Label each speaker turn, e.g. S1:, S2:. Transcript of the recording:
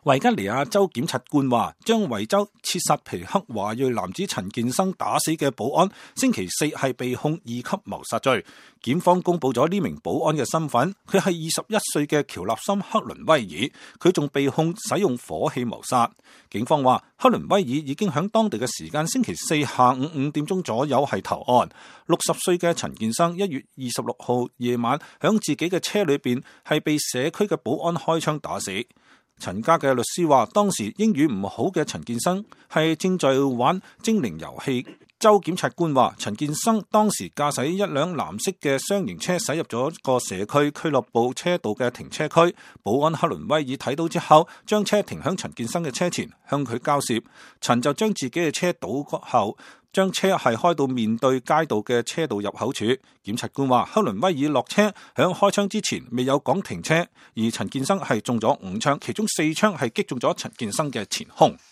S1: 維吉尼亞州檢察官話，將維州切薩皮克華裔男子陳健生打死嘅保安，星期四係被控2級謀殺罪。檢方公布咗呢名保安嘅身份，佢係21歲嘅喬納森克倫威爾，佢仲被控使用火器謀殺。警方話，克倫威爾已經響當地嘅時間星期四下午5點鐘左右係投案。60歲嘅陳健生1月26號夜晚響自己嘅車裏邊係被社區嘅保安開槍打死。陳家嘅律師話，當時英語唔好嘅陳健生係正在玩精靈遊戲。州檢察官話，陳健生當時駕駛一輛藍色嘅雙型車駛入咗個社區俱樂部車道嘅停車區，保安克倫威爾睇到之後，將車停響陳健生嘅車前，向佢交涉。陳就將自己嘅車倒後，將車係開到面對街道嘅車道入口處。檢察官話，克倫威爾落車響開槍之前未有講停車，而陳健生係中咗5槍，其中4槍係擊中咗陳健生嘅前胸。